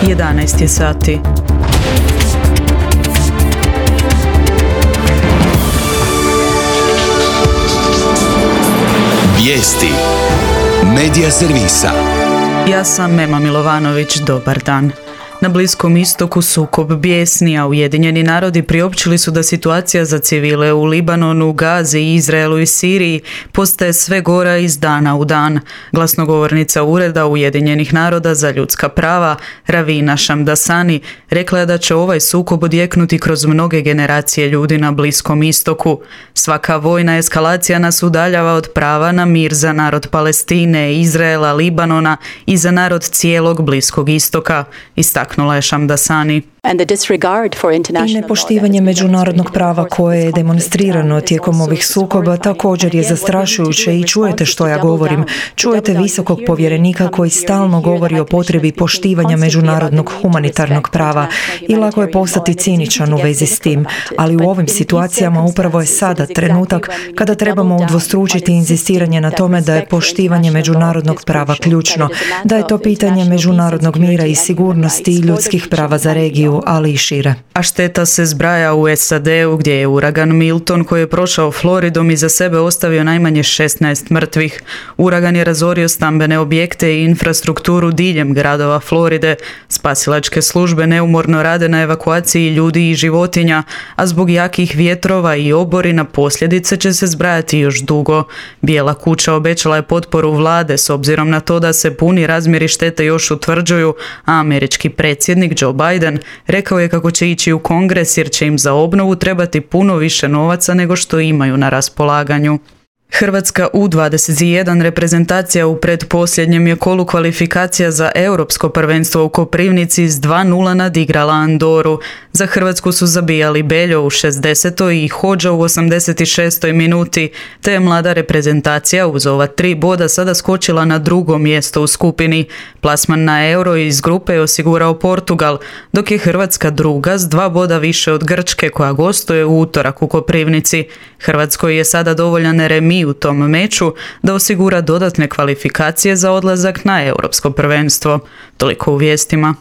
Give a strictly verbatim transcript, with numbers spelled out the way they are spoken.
jedanaest je sati. Vijesti Medija servisa. Ja sam Mema Milovanović, dobar dan. Na Bliskom istoku sukob bijesni, a Ujedinjeni narodi priopćili su da situacija za civile u Libanonu, Gazi, Izraelu i Siriji postaje sve gora iz dana u dan. Glasnogovornica Ureda Ujedinjenih naroda za ljudska prava, Ravina Shamdasani, rekla je da će ovaj sukob odjeknuti kroz mnoge generacije ljudi na Bliskom istoku. Svaka vojna eskalacija nas udaljava od prava na mir za narod Palestine, Izraela, Libanona i za narod cijelog Bliskog istoka, istaknula je Shamdasani. I nepoštivanje međunarodnog prava koje je demonstrirano tijekom ovih sukoba također je zastrašujuće i čujete što ja govorim. Čujete visokog povjerenika koji stalno govori o potrebi poštivanja međunarodnog humanitarnog prava i lako je postati ciničan u vezi s tim, ali u ovim situacijama upravo je sada trenutak kada trebamo udvostručiti inzistiranje na tome da je poštivanje međunarodnog prava ključno, da je to pitanje međunarodnog mira i sigurnosti i ljudskih prava za regiju, ali i šire. A šteta se zbraja u S A D-u gdje je uragan Milton koji je prošao Floridom i za sebe ostavio najmanje šesnaest mrtvih. Uragan je razorio stambene objekte i infrastrukturu diljem gradova Floride. Spasilačke službe neumorno rade na evakuaciji ljudi i životinja, a zbog jakih vjetrova i oborina posljedice će se zbrajati još dugo. Bijela kuća obećala je potporu vlade s obzirom na to da se puni razmjeri štete još utvrđuju, a američki predsjednik Joe Biden rekao je kako će ići u Kongres jer će im za obnovu trebati puno više novaca nego što imaju na raspolaganju. Hrvatska U dvadeset jedan reprezentacija u predposljednjem je kolu kvalifikacija za Europsko prvenstvo u Koprivnici s dva nula nadigrala Andoru. Za Hrvatsku su zabijali Beljo u šezdesetoj i Hodža u osamdeset šestoj minuti, te je mlada reprezentacija uz ova tri boda sada skočila na drugo mjesto u skupini. Plasman na Euro iz grupe je osigurao Portugal, dok je Hrvatska druga s dva boda više od Grčke koja gostuje u utorak u Koprivnici. Hrvatskoj je sada dovoljan remi u tom meču da osigura dodatne kvalifikacije za odlazak na Europsko prvenstvo. Toliko u vijestima.